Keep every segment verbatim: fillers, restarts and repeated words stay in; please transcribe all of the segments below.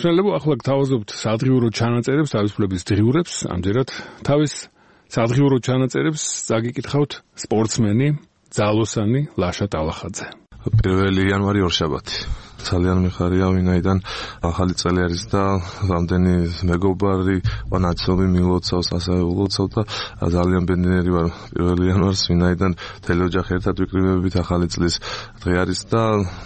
მსმენელებო, ახლა გთავაზობთ სადღიურო ჩანაწერებს, თავისუფლების დღიურებს, ამჯერად თავის სადღიურო ჩანაწერებს წაგიკითხავთ სპორტსმენი, ძალოსანი ლაშა ტალახაძე. პირველი იანვარი ორშაბათი. ძალიან მიხარია, ვინაიდან ახალი წელი არის და რამდენი მეგობარი ნაცნობი მილოცავს, ასევე ულოცავ და ძალიან ბედნიერი ვარ პირველი იანვარს, ვინაიდან მთელი ოჯახი ერთად ვიკრიბებით, ახალი წლის დღე არის და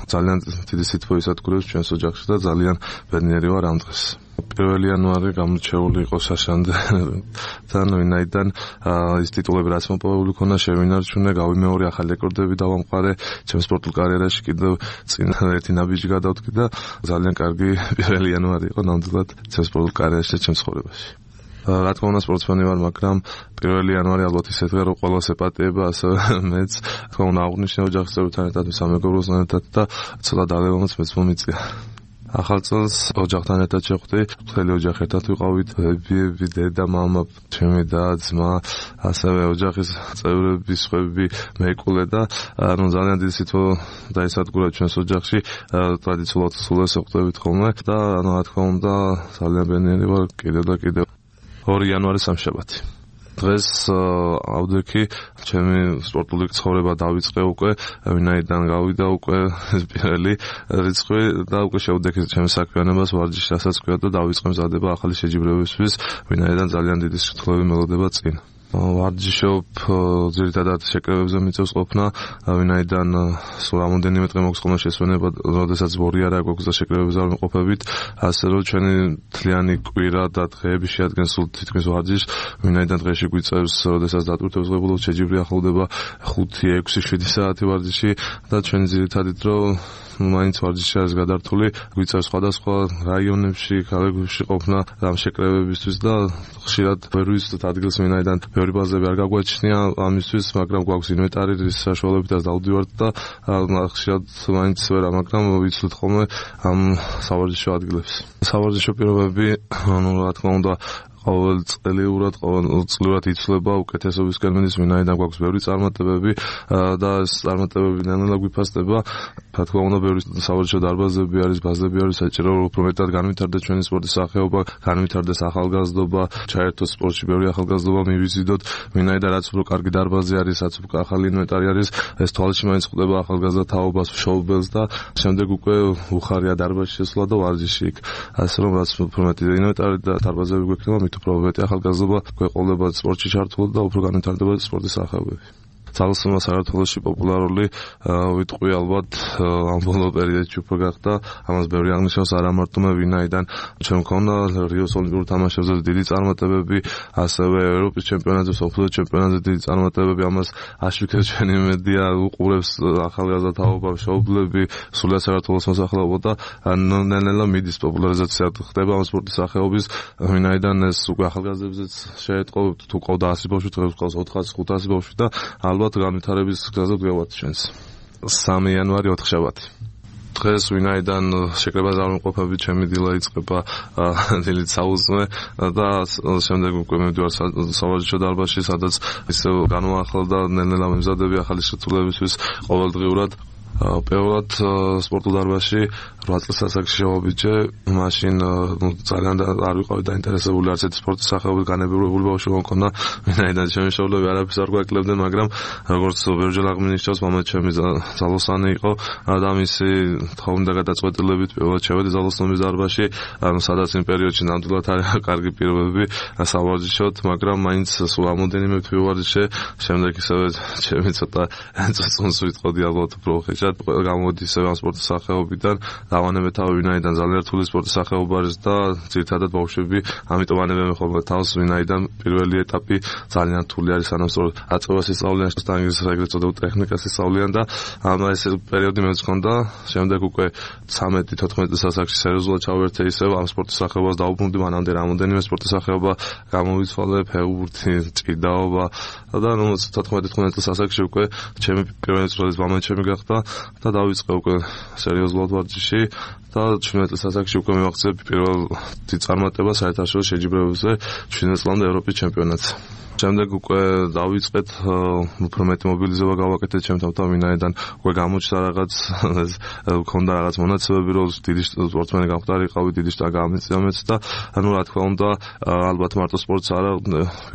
ძალიან დიდი სითბო ისადგურებს ჩვენს ოჯახში და ძალიან ბედნიერი ვარ ამ დღეს. პირველი იანვარი გამორჩეული იყო საშანთან, ვინაიდან ის ტიტულები რაც მოპოვებული ქონა შევინარჩუნე, გავიმეორე, ახალი რეკორდები დავამყარე ჩემს სპორტულ კარიერაში, კიდევ წინ ერთი ნაბიჯი გადავდგი და ძალიან კარგი პირველი იანვარი იყო ნამდვილად ჩემს სპორტულ კარიერაში და ჩემს ცხოვრებაში. რა თქმა უნდა სპორტსმენი ვარ, მაგრამ პირველი იანვარი ალბათ ისეთია, რომ ყველას ეპატიება, ასევე მეც თქმა უნდა აღვნიშნე ოჯახის წევრებთან ერთად, სამეგობროსთან ერთად და ცოტა დალევამაც მეც მომიწია. ახალ წელს ოჯახთან ერთად შევხვდი, მთელი ოჯახი ერთად ვიყავით, ბებიები, დედა, მამა, ჩემი და ძმა, ასევე ოჯახის წევრები, სხვები, მეიკულე და ანუ ძალიან დიდი სითბო დაისადგურა ჩვენს ოჯახში, ტრადიციულად სულეს ვხვდებით ხოლმე და ანუ რა თქმა უნდა ძალიან ბედნიერი ვარ კიდევ და კიდევ. ორი იანვარი სამშაბათი. დღეს ავდექი ჩემი სპორტული ცხოვრება დავიწყე უკვე, ვინაიდან გავიდა უკვე პირველი რიცხვი და უკვე შევდექი ჩემს საქმიანობას ვარჯიშს, რასაც ქვია და დავიწყე მზადება ახალი შეჯიბრებებისთვის, ვინაიდან ძალიან დიდი სიტყვები მელოდება წინ. ვარჯიშობ ძირითადად შეკრებებზე მიწევს ყოფნა, ვინაიდან სულ რამოდენიმე დღე მოგვს ხოლმე შესვენება, როდესაც ბორი არ აქვს და შეკრებებზე არ ვიმყოფებით, ასე რომ ჩვენი მთლიანი კვირა და დღეები შეადგენს სულ თითქმის ვარჯიშს, ვინაიდან დღეში გვიწევს, როდესაც დატვირთებს ღებულობ შეჯიბრი ახლოვდება ხუთი, ექვსი, შვიდი საათი ვარჯიში და ჩვენი ძირითადი დრო მაინც ვარჯიში არის გადართული, გვიწევს სხვადასხვა რაიონებში, ქალაქებში ყოფნა ამ შეკრებებისთვის და ხშირად ვერ ვიზრდოთ ადგილს, ვინაიდან ბევრი ბაზები არ გაგვაჩნია ამისთვის, მაგრამ გვაქვს ინვენტარი, რის საშუალებითაც დავდივართ და ხშირად მაინც ვერა, მაგრამ ვიცვლით ხოლმე ამ სავარჯიშო ადგილებს. სავარჯიშო პირობები, ანუ რა თქმა უნდა ყოველ წლიურად, ყოველწლიურად იცვლება უკეთესობისკენ მიდის, ვინაიდან გვაქვს ბევრი წარმატებები და ეს წარმატებები ნელ-ნელა გვიფასდება. რა თქმა უნდა, ბევრი სავარჯიშო დარბაზები არის, ბაზები არის, საჭირო რომ უფრო მეტად განვითარდეს ჩვენი სპორტის სახეობა, განვითარდეს ახალგაზრდობა, ჩაერთოს სპორტში ბევრი ახალგაზრდობა მივიზიდოთ, ვინაიდან რაც უფრო კარგი დარბაზი არის, რაც უფრო ახალი ინვენტარი არის, ეს თვალში მაინც ხვდება ახალგაზრდა თაობას, მშობელს და შემდეგ უკვე უხარია დარბაზში შესვლა და ვარჯიში იქ. ასე რომ რაც უფრო მეტი ინვენტარი და დარბაზები გვექნება, უფრო მეტი ახალგაზრდობა გვეყოლება სპორტში ჩართულად და უფრო განვითარდება სპორტის სახეობები. ძალოსანმა საქართველოში პოპულარული ვიტყვი ალბათ ამ ბოლო პერიოდში უფრო გახდა, ამას ბევრი აღნიშნავს, არა მარტო მე, ვინაიდან ჩვენ მქონდა რიოს ოლიმპიურ თამაშებზე დიდი წარმატებები, ასევე ევროპის ჩემპიონატზე, მსოფლიოს ჩემპიონატზე დიდი წარმატებები, ამას აშუქებს ჩვენი მედია, უყურებს ახალგაზრდა თაობა, მშობლები, სულიად საქართველოს მოსახლეობა და ნელ-ნელა მიდის პოპულარიზაცია ხდება ამ სპორტის სახეობის, ვინაიდან ეს უკვე ახალგაზრდებზეც შეეტყო, თუ ყავდა ასი ბავშვი, დღეს ყავს ოთხასი, ხუთასი ბავშვი და ალბათ განვითარების გზაზე გვევათ ჩვენს. სამი იანვარი ოთხშაბათი. დღეს ვინაიდან შეკრებაზე არ ვიმყოფებით, ჩემი დილა იწყება დილით საუზმე და შემდეგ უკვე მივდივარ სავარჯიშო დარბაზში, სადაც ისევ განვაახლდა ნელ-ნელა მემზადები ახალი შეცვლებისთვის ყოველდღიურად. პირველად სპორტულ დარბაზში რვა წელს ასაკში შევაბიჯე, მაშინ ძალიან არ ვიყავი დაინტერესებული არც ერთი სპორტის სახეობით, განებებული ბავშვი მქონდა, ვინაიდან ჩემი მშობლები არაფერს არ გვაკლებდნენ, მაგრამ როგორც ბევრჯერ აღნიშნავს, მამა ჩემი ძალოსანი იყო და მისი თხოვნით და გადაწყვეტილებით პირველად შევედი ძალოსნობის დარბაზში, ანუ სადაც იმ პერიოდში ნამდვილად არ იყო კარგი პირობები სავარჯიშოდ, მაგრამ მაინც სულ რამოდენიმე ვარჯიშე, შემდეგ ისევე ჩემი ცოტა წონს ვიტყოდი ალბათ უფრო ხეშად, გამოდის ამ სპორტის სახეობიდან, დავანებე თავი, ვინაიდან ძალიან რთული სპორტის სახეობა არის და ძირითადად ბავშვები, ამიტომ ანებენ ხოლმე თავს, ვინაიდან პირველი ეტაპი ძალიან რთული არის, სანამ სწორად აწევას ისწავლიან, შტანგის ეგრეთ წოდებულ ტექნიკას ისწავლიან და ამ ეს პერიოდი მეც მქონდა, შემდეგ უკვე ცამეტი თოთხმეტი ასაკში სერიოზულად ჩავერთე ისევ ამ სპორტის სახეობას დაუბრუნდი, მანამდე რამოდენიმე სპორტის სახეობა გამოვიცვალე, ფეხბურთი, ჭიდაობა და ნუ თოთხმეტი თხმეტი ასაკში უკვე ჩემი პირველი წვრილი მამა ჩემი გახდა და დავიწყე უკვე სერიოზულად ვარჯიში და ჩვენეტის ასაკში უკვე მივახცე პირველ დიდ წარმატებას საერთაშორისო შეჯიბრებებზე, ჩვენეტ წლამდე ევროპის ჩემპიონატზე. შემდეგ უკვე დავიწყეთ უფრო მეტი მობილიზება გავაკეთეთ ჩემთან, ვინაიდან უკვე გამოჩნდა რაღაც მქონდა რაღაც მონაცემები, რომ დიდი სპორტსმენი გამხდარიყავი, დიდი შტა გამიწიამეც და ანუ რა თქმა უნდა, ალბათ მარტო სპორტს არა,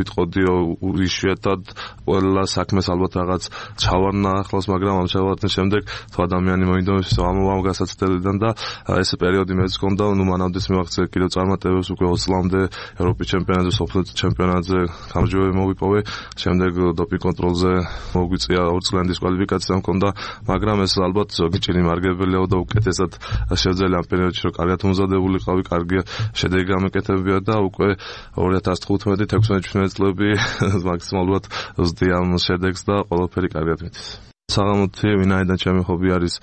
ვიტყოდი იშვიათად ყველა საქმეს ალბათ რაღაც ჩავარნა ახლავს, მაგრამ ამ ჩავარდნის შემდეგ თუ ადამიანი მოინდომებს ამოვამ გასაცდელიდან და ეს პერიოდი მეც გქონდა, ნუ მანამდე მივახცე კიდევ წარმატებებს უკვე ოცი წლამდე ევროპის ჩემპიონატზე, სოფლის ჩემპიონატზე გამარჯვებები მოვიპოვე, შემდეგ დოპინგ კონტროლზე მოგვიწია ორი წლიანი დისკვალიფიკაცია მქონდა, მაგრამ ეს ალბათ ზოგი ჭირი მარგებელია და უკეთესად შევძელი ამ პერიოდში, რომ კარგად უმზადებულიყავი, კარგი შედეგი გამეკეთებია და უკვე ორი ათას თხუთმეტი თექვსმეტი წლები მაქსიმალურად ვზდი ამ შედეგს და ყველაფერი კარგად მიდის. საღამოთი, ვინაიდან ჩემი ხობი არის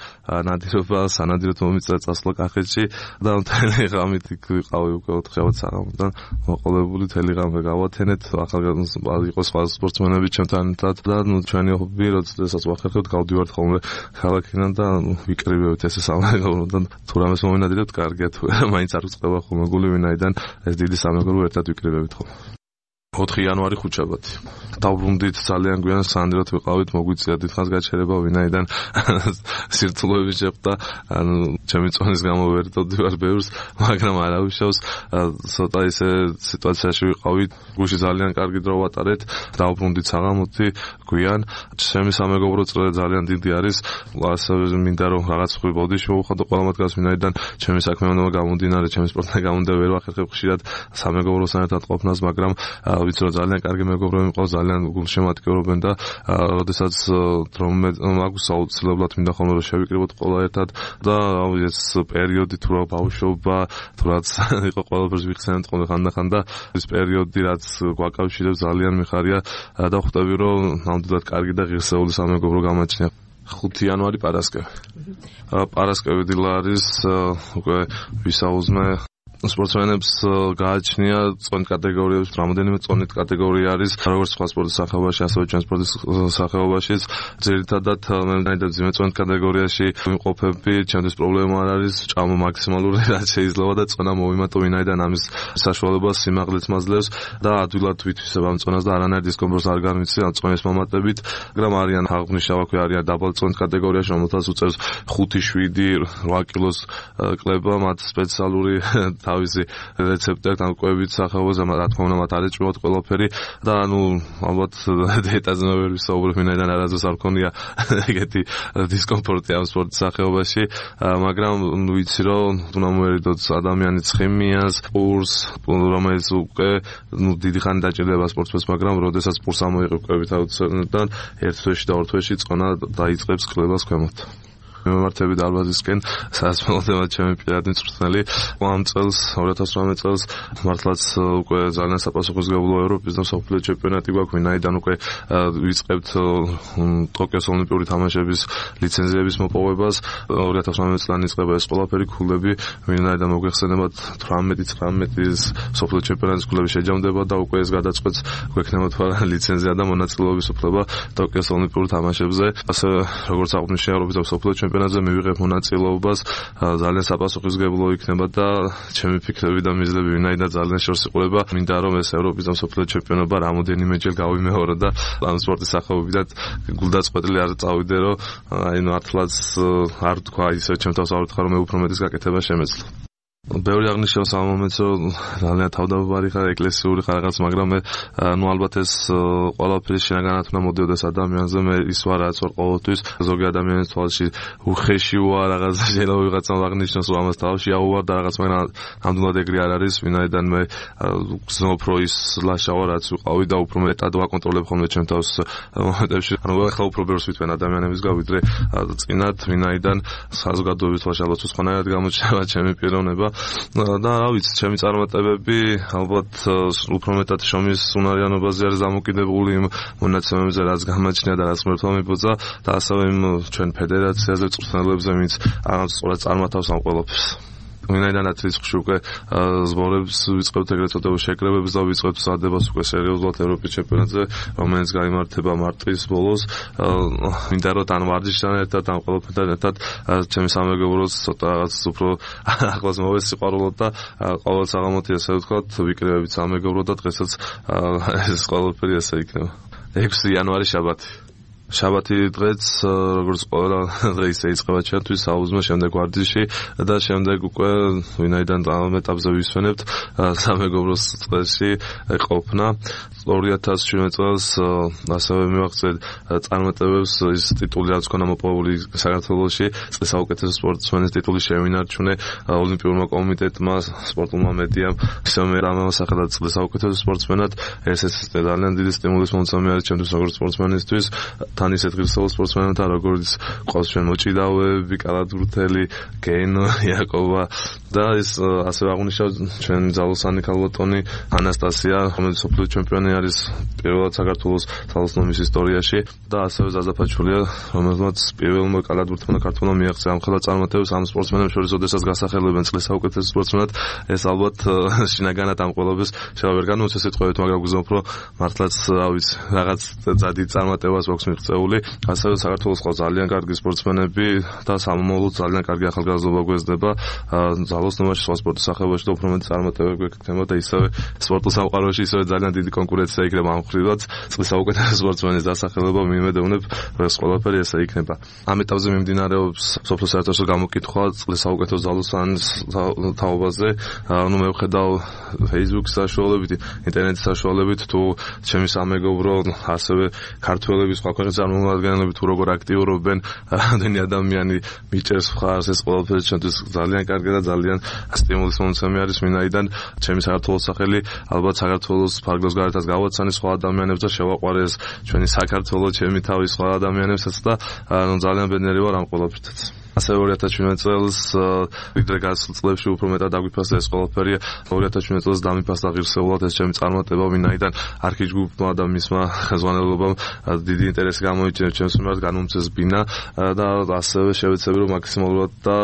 ნადირობა, სანადიროდ მომიწია წასვლა კახეთში და მთელი ღამით იქ ვიყავი უკვე ოთხშაბათ საღამოდან მოყოლებული, მთელი ღამე გავათენეთ, ახალგაზრდა იყო სხვა სპორტსმენები ჩემთან ერთად და ნუ ჩვენი ხობი, როდესაც ვახერხებთ, გავდივართ ხოლმე ქალაქიდან და ვიკრიბებთ ესე სამეგობროდან, თუ რამეს მომენადირებთ, კარგია, თუ არა, მაინც არ უწყება ხოლმე გული, ვინაიდან ეს დიდი სამეგობრო ერთად ვიკრიბებთ ხოლმე. ოთხი იანვარი ხუთშაბათი. დავბრუნდით ძალიან გვიან, სანდროთ ვიყავით, მოგვიწია დიდხანს გაჩერება, ვინაიდან სირთულეები შეხვდა, ანუ ჩემი წონის გამო ვერ დავდივარ ბევრს, მაგრამ არავიშავს, ცოტა ისე სიტუაციაში ვიყავით, გუში ძალიან კარგი დრო ვატარეთ, დავბრუნდით საღამოთი გვიან, ჩემი სამეგობრო წრე ძალიან დიდი არის, ასევე მინდა რომ რაღაც ხრი ბოდიში მოვხადო ყველა მათგანს, ვინაიდან ჩემი საქმე უნდა გამომდინარე, ჩემი სპორტთან გამომდინარე ვერ ვახერხებ ხშირად სამეგობროსთან ერთად ყოფნას, მაგრამ ვიცი რომ ძალიან კარგი მეგობრები მყავს, ძალიან გულშემატკივრობენ და როდესაც რომე მაქვს აუცილებლად მინდა ხოლმე რომ შევიკრიბოთ ყველა ერთად და ეს პერიოდი თუ რა ბავშვობა, თუ რაც იყო ყველაფერს ვიხსენებთ ხოლმე ხანდახან და ეს პერიოდი რაც გვაკავშირებს ძალიან მიხარია და ხვდები რომ ნამდვილად კარგი და ღირსეული სამეგობრო გამაჩნია. ხუთი იანვარი პარასკევი. პარასკევი დილა არის უკვე ვისაუზმე სპორტსმენებს გააჩნია წონით კატეგორიებს, რამოდენიმე წონით კატეგორია არის, როგორც სხვა სპორტის სახეობაში, ასევე ჩვენ სპორტის სახეობაშიც. ძირითადად მე მგონი ძიმე წონით კატეგორიაში ვიმყოფები, ჩემთვის პრობლემა არ არის, ჭამა მაქსიმალური რაც შეიძლება და წონა მოვიმატო, ვინაიდან ამის საშუალებას სიმაღლეც მაძლევს და ადვილად ვითვისებ ამ წონას და არანაირ დისკომფორტს არ განვიცი ამ წონის მომატებით, მაგრამ არიან აღნიშნავაქვე არიან დაბალ წონით კატეგორიაში, რომელთაც უწევს ხუთი, შვიდი, რვა კილოს კლება, მათ სპეციალური თავისი რეცეპტი აქვს, ამკვებით სახეობაზე, რა თქმა უნდა, მათ არ ეჭვმოთ ყველაფერი და ანუ ალბათ დიეტაზე ვერ ვისაუბრებ, ვინაიდან არასდროს არ მქონია ეგეთი დისკომფორტი ამ სპორტის სახეობაში, მაგრამ ვიცი რომ უნდა მოერიდოთ ადამიანის ხემიას, პურს, რომელიც უკვე დიდი ხანი დაჭირდება სპორტსმენს, მაგრამ როდესაც პურს ამოიყევებით აუცილებლად ერთ თვეში და ორ თვეში წონა დაიწყებს კლებას ქვემოთ. მიმართები დარბაზისკენ, სადაც მოვდება ჩემი პირადი მწვრთნელი. ამ წელს, ორი ათას ოცდაოთხ წელს, მართლაც უკვე ძალიან საპასუხისმგებლო ევროპის და მსოფლიო ჩემპიონატი გვაქვს, ვინაიდან უკვე ვიწყებთ ტოკიოს ოლიმპიური თამაშების ლიცენზიების მოპოვებას. ორი ათას ოცდაოთხ წლიდან იწყება ეს ყველაფერი ქულები, ვინაიდან მოგვეხსენებათ თვრამეტი ცხრამეტის მსოფლიო ჩემპიონატის ქულები შეჯამდება და უკვე ეს გადაწყვეტს, გვექნება თუ არა ლიცენზია და მონაწილეობის უფლება ტოკიოს ოლიმპიურ თამაშებზე. ასევე როგორც აღნიშნე ევროპის და მსოფლიო ჩემპიონატზე მივიღებ მონაწილეობას, ძალიან საპასუხისმგებლო იქნება და ჩემი ფიქრები და მიზნები ვინაიდან ძალიან შორს იყურება. მინდა რომ ეს ევროპის და მსოფლიო ჩემპიონობა რამოდენიმეჯერ გავიმეორო და ამ სპორტის სახეობიდან გულდაწყვეტილი არ წავიდე, რომ აი მართლაც არ თქვა ისე ჩემ თავს არ ვთქვა რომ მე უფრო მეტის გაკეთება შემეძლო. ბევრი აღნიშნავს ამ მომენტს, რომ ძალიან თავდაბარი ხარ, ეკლესიური ხარ რაღაც, მაგრამ მე ნუ ალბათ ეს ყველაფერი შინაგანად უნდა მოდიოდეს ადამიანზე, მე ის ვარ რაც ვარ ყოველთვის, ზოგი ადამიანის თვალში უხეში ვარ, რაღაც შეიძლება ვიღაცამ აღნიშნოს, რომ ამას თავში აუვარ და რაღაც, მაგრამ ნამდვილად ეგრე არ არის, ვინაიდან მე გზნობ რომ ის ლაშა ვარ, რაც ვიყავი და უფრო მეტად ვაკონტროლებ ხოლმე ჩემ თავს მომენტებში. ანუ ახლა უფრო ბევრს ვითვენ ადამიანებისგან, ვიდრე წინათ, ვინაიდან საზოგადოების თვალში ალბათ სხვანაირად გამოჩნდება ჩემი პიროვნება. და რა ვიცი, ჩემი წარმატებები ალბათ უფრო მეტად შრომის უნარიანობაზე არის დამოკიდებული, იმ მონაცემებზე, რაც გამაჩნია და რაც ღმერთმა მიბოძა და ასევე იმ ჩვენ ფედერაციაზე, მწვრთნელებზე, ვინც სწორად წარმართავს ამ ყველაფერს. ვინაიდანაც რისკში უკვე ზღორებს ვიწყებთ ეგრეთ წოდებულ შეკრებებს და ვიწყებთ სადებას უკვე სერიოზულად ევროპის ჩემპიონატზე, რომელიც გაიმართება მარტის ბოლოს. მინდა რომ თან ვარჯიშთან ერთად, ამ ყველაფერთან ერთად ჩემი სამეგობროს ცოტა რაღაც უფრო ახლოს მოვეს სიყვარულოდ და ყოველ საღამოთი ასე ვთქვათ, ვიკრიბებით სამეგობრო და დღესაც ეს ყველაფერი ასე იქნება. ექვსი იანვარი შაბათი. შაბათი დღეც როგორც ყველა დღე ისე იწყება ჩვენთვის საუზმე შემდეგ ვარჯიში და შემდეგ უკვე ვინაიდან ამ ეტაპზე ვისვენებთ სამეგობროს წრეში ყოფნა. ორი ათას შვიდმეტ წელს ასევე მივაღწევ წარმატებებს ის ტიტული რაც ქონა მოპოვებული საქართველოში წლის საუკეთესო სპორტსმენის ტიტული შევინარჩუნე ოლიმპიურმა კომიტეტმა სპორტულმა მედიამ ისე მე რამოსახელად წლის საუკეთესო სპორტსმენად ეს ეს ძალიან დიდი სტიმულის მომცემი არის ჩემთვის როგორც სპორტსმენისთვის თან ისეთ ღირსეულ სპორტსმენებთან როგორც ყავს ჩვენ მოჭიდავეები კალათბურთელი გენო იაკობა და ეს ასე აღნიშნავ ჩვენ ძალოსანი ქალბატონი ანასტასია რომელიც სოფლიო ჩემპიონი არის პირველად საქართველოს ძალოსნობის ისტორიაში და ასევე ზაზაფაჩულია რომელმაც პირველმა კალათბურთელმა ქართველმა მიაღწია ამ ხელა წარმატებებს ამ სპორტსმენებს შორის ოდესაც გასახელებენ წლის საუკეთესო სპორტსმენად ეს ალბათ შინაგანად ამ ყველაფერს შეიძლება ვერ განვიცე სიტყვებით მაგრამ გუზავნებ რომ მართლაც რა ვიცი რაღაც ძადი წარმატებას აქვს მიღწეული ასევე საქართველოს ყავს ძალიან კარგი სპორტსმენები და სამომავლოდ ძალიან კარგი ახალგაზრდობა გვეძნება ძალოსნობაში სხვა სპორტის სახეობაში და უფრო მეტი წარმატებები გვექნება და ისევე სპორტულ სამყაროში ისევე ძალიან დიდი კონკურენცია იქნება ამ ხრივაც წლის საუკეთესო სპორტსმენის დასახელება მიმედოვნებ ეს ყველაფერი ესე იქნება ამ ეტაპზე მიმდინარეობს სოფლის საერთაშორისო გამოკითხვა წლის საუკეთესო ძალოსანის თაობაზე ანუ მე ვხედავ Facebook-ის საშუალებით ინტერნეტის საშუალებით თუ ჩემი სამეგობრო ასევე ქართველები სხვა ქვეყნის წარმომადგენლები თუ როგორ აქტიურობენ რამდენი ადამიანი მიჭერს მხარს ეს ყველაფერი ჩვენთვის ძალიან კარგი და ძალიან სტიმულის მომცემი არის ვინაიდან ჩემი საქართველოს სახელი ალბათ საქართველოს ფარგლებს გარეთაც გავაცანი სხვა ადამიანებს და შევაყვარე ეს ჩვენი საქართველო ჩემი თავი სხვა ადამიანებსაც და ანუ ძალიან ბედნიერი ვარ ამ ყველაფრითაც ასევე ორი ათას შვიდმეტ წელს ვიდრე გასულ წლებში უფრო მეტად დაგვიფასდა ეს ყველაფერი ორი ათას შვიდმეტ წელს დამიფასდა ღირსეულად ეს ჩემი წარმატება ვინაიდან არქიჯგუფმა და მისმა ხელმძღვანელობამ დიდი ინტერესი გამოიჩინა ჩემს მიმართ განუმწეს ბინა და ასევე შევეცები რომ მაქსიმალურად და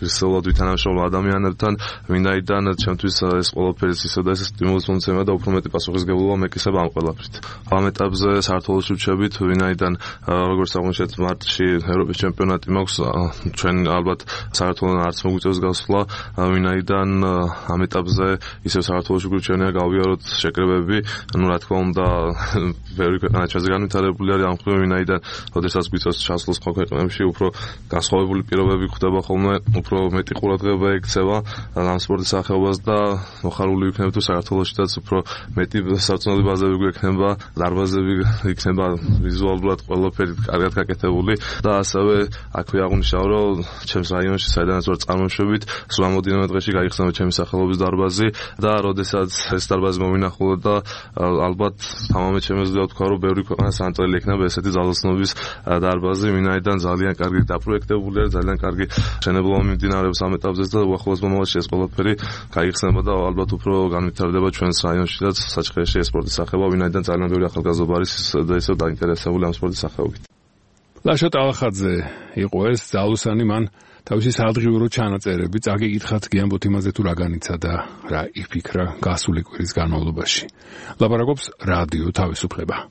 ღირსეულად ვითანამშრომლო ადამიანებთან ვინაიდან ჩემთვის ეს ყველაფერი ისე და ეს სტიმულის მომცემა და უფრო მეტი პასუხისმგებლობა მეკისება ამ ყველაფრით ამ ეტაპზე საქართველოში ვჩებით ვინაიდან როგორც აღმოჩნდეთ მარტში ევროპის ჩემპიონატი მაქვს ჩვენ ალბათ საქართველოს არც მოგვიწევს გასვლა ვინაიდან ამ ეტაპზე ისევ საქართველოში გვირჩენია გავიაროთ შეკრებები ну რა თქმა უნდა ბევრი ქვეყანა ჩვენზე განვითარებული არის ამ ხრივ ვინაიდან ოდესაც გვიწევს ჩასვლა სხვა ქვეყნებში უფრო განსხვავებული პირობები ხდება ხოლმე უფრო მეტი ყურადღება ექცევა ამ სპორტის სახეობას და მოხარული ვიქნებ თუ საქართველოშიც უფრო მეტი სარწმუნოების ბაზები გვექნება დარბაზები იქნება ვიზუალურად ყველაფერი კარგად გაკეთებული და ასევე აქვე აღნიშნავ რომ ჩემს რაიონში საიდანაც ვარ წარმოშობით სულ ამოდინმე დღეში გაიხსნა ჩემი სახელობის დარბაზი და როდესაც ეს დარბაზი მოვინახულო და ალბათ თამამად შემეძლია თქვა რომ ბევრი ქვეყანას ანწელი ექნება ესეთი ძალოსნობის დარბაზი ვინაიდან ძალიან კარგი დაპროექტებული არის ძალიან კარგი შენებლობა მიმდინარეობს ამ ეტაპზე და უახლოეს მომავალში ეს ყველაფერი გაიხსნება და ალბათ უფრო განვითარდება ჩვენს რაიონშიც საჩხერეში ეს სპორტის სახეობა ვინაიდან ძალიან ბევრი ახალგაზრდა არის და ისევ დაინტერესებული ამ სპორტის სახეობით ლაშა ტალახაძე იყო ეს ძალოსანი მან თავისი სადღიურო ჩანაწერები წაგიკითხათ გიამბოთ იმაზე თუ რა განიცა და რა იფიქრა გასული კვირის განმავლობაში ლაპარაკობს რადიო თავისუფლება